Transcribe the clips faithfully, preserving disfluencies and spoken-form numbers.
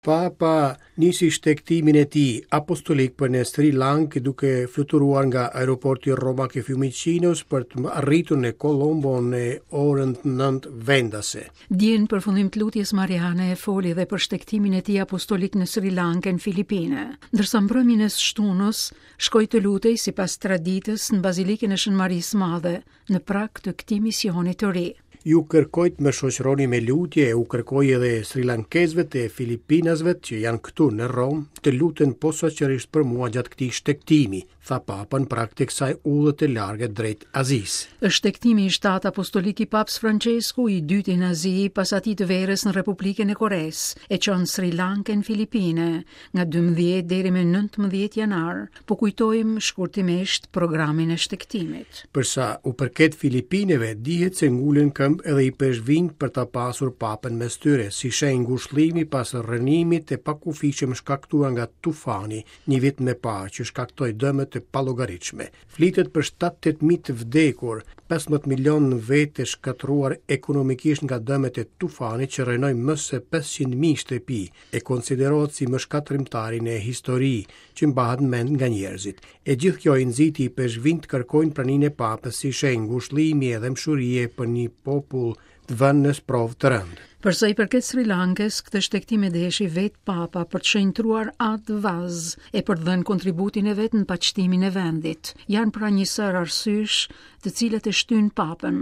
Papa nisi shtegtimin e tij apostolik për në Sri Lankë duke fluturuar nga aeroporti romak i Fiumicinos për të arritur në Colombo në orën nëntë vendase. Dje në përfundim të lutjes mariane foli dhe për shtegtimin e tij apostolik në Sri Lankë në Filipine. Ndërsa mbrëmjen e shtunës shkoi të lutej sipas traditës në Bazilikën e Shën Marisë Madhe në prag të këtij misioni të ri. Ju kërkoj të më shoqëroni me lutje e u kërkoj edhe Sri Lankezve të Filipinasve që janë këtu në Romë të luten posaçërisht për mua gjatë këtij shtegtimi, tha Papa në prag të kësaj udhë të largët drejt Azisë. Është shtegtimi i shtatë apostolik i Papës Francesku, i dyti në Azi, pas atij të verës në Republikën e Koresë, e çon Sri Lankën Filipine nga dymbëdhjetë deri më nëntëmbëdhjetë janar. Po kujtojmë shkurtimisht programin e shtegtimit. Për sa u përket Filipineve, dihet se ngulën këmbë edhe ipeshkvinjtë për ta pasur Papën mes tyre, si shenjë ngushëllimi pas rrënimit të pakufishëm shkaktuar nga tufani një vit më parë që shkaktoi dëme të pallogaritshme. Flitet për shtatëdhjetë mijë të vdekur, pesëmbëdhjetë milion vetë të shkatërruar ekonomikisht nga dëmet e tufanit që rrënoi më se pesëqind mijë shtëpi e konsiderohet si më shkatërrimtari në histori që mbahet mend nga njerëzit. E gjithë kjo i nxiti ipeshkvinjtë të kërkojnë praninë e Papës si shenjë ngushëllimi e dhembshurie për një popull të vënë në sprovë të rëndë. Për sa i përket Sri Lankës, këtë shtegtim e deshi vetë Papa për të shenjtruar atë vaz e për të dhënë kontributin e vet në paqtimin e vendit. Janë pra një sërë arsyesh të cilat e shtyn Papën.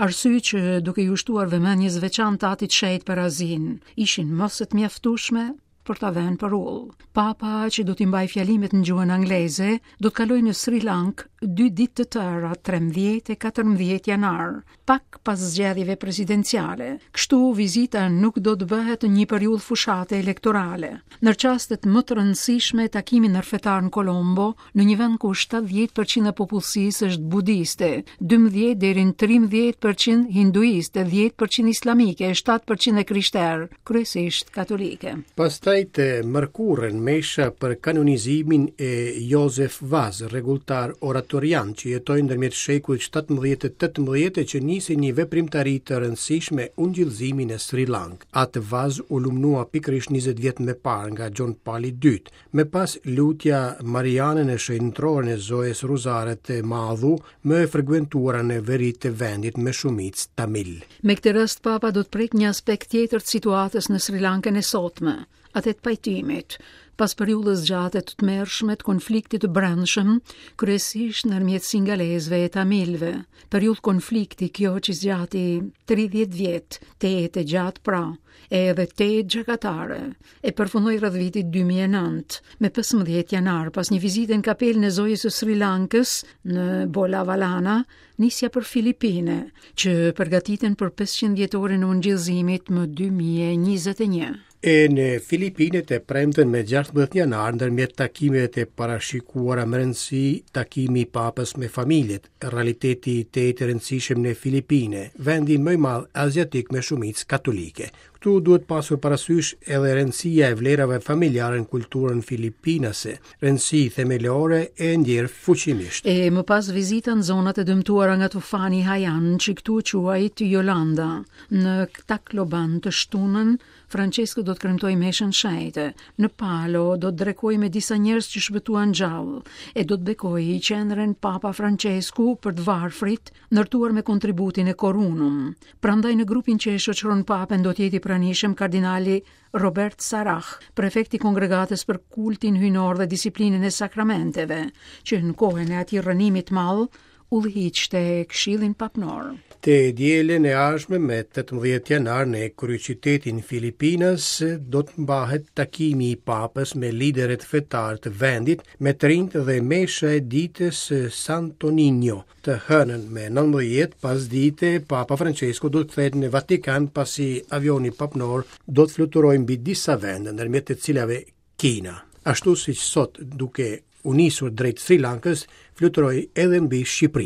Arsye që duke ju shtuar vëmendjes veçantë atit shenjt për Azinë, ishin më se të mjaftueshme për ta vënë për ullë. Papa, që do t'i mbajë fjalimet në gjuhën angleze, do të kalojë në Sri Lankë dy ditë të tëra, trembëdhjetë e katërmbëdhjetë janar, pak pas zgjedhjeve presidenciale. Kështu vizita nuk do të bëhet në një periudhë fushate elektorale. Në çastet më të rëndësishme, takimi ndërfetar në Colombo, në një vend ku shtatëdhjetë përqind e popullsisë është budiste, dymbëdhjetë deri në trembëdhjetë përqind hinduiste, dhjetë përqind islamike, shtatë përqind e krishterë, kryesisht katolike. Pastaj të mërkurën mesha për kanonizimin e Josef Vaz, rregulltar oratorian që jetoi ndërmjet shekullit shtatëmbëdhjetë e tetëmbëdhjetë e që nisi një veprimtari të rëndësishme ungjillëzimin e Sri Lankë. Atë Vaz u lumnua pikërisht njëzet vjet më parë nga John Pali i dytë. Më pas lutja Mariane në shenjtëroren e Zojës Ruzare të Madhu, më e frekuentuara në veri të vendit me shumicë tamil. Me këtë rast Papa do të prek një aspekt tjetër të situatës në Sri Lankën e sotme, atë të pajtimit, pas periudhës gjate të tmerrshme të konfliktit të brendshëm, kryesisht ndërmjet singalezëve e tamilëve. Periudhë konflikti kjo që zgjati tridhjetë vjet, tejet e gjatë pra, e edhe tejet gjakatare, e përfundoi rreth vitit dy mijë e nëntë, me pesëmbëdhjetë janar, pas një vizite në kapelën e Zojës së Sri Lankës në Bolavalana, nisja për Filipine, që përgatiten për pesëqind vjetorin e ungjillëzimit më dy mijë e njëzet e një. E në Filipine të premten me gjashtëmbëdhjetë janar, ndërmjet takimeve të parashikuara me rëndësi, takimi i Papës me familjet, realiteti i tetë i rëndësishëm në Filipine, vendi më i madh aziatik me shumicë katolike. Këtu duhet pasur parasysh edhe rëndësia e vlerave familjare në kulturën filipinase, rëndësi themelore e ndjerë fuqimisht. E më pas vizita në zonat e dëmtuara nga tufani Haiyan, që këtu quajt Yolanda. Në Tacloban të shtunën, Francesco do të kremtojë meshën shenjte. Në Palo do të drekojë me disa njerëz që shpëtuan gjallë e do të bekojë qendrën Papa Francesku për të varfrit, ndërtuar me kontributin e Korunum. Prandaj në grupin që e shoqëron Papën do të jetë i pranishëm kardinali Robert Sarah, prefekti i kongregatës për kultin hyjnor dhe disiplinën e sakramenteve, që në kohën e atij rrënimit të madh udhëhiqte Këshillin Papnor. Të dielën e ardhshme me tetëmbëdhjetë janar në kryeqytetin Filipinas do të mbahet takimi i Papës me liderët fetar të vendit, me të rinjtë dhe mesha e ditës së Santo Niño. Të hënën me nëntëmbëdhjetë pasdite, Papa Francesco do të kthehet në Vatikan pasi avioni papnor do të fluturojë mbi disa vende, ndërmjet të cilave Kina. Ashtu siç sot duke u nisur drejt Sri Lankës, fluturoi edhe mbi Shqipëri.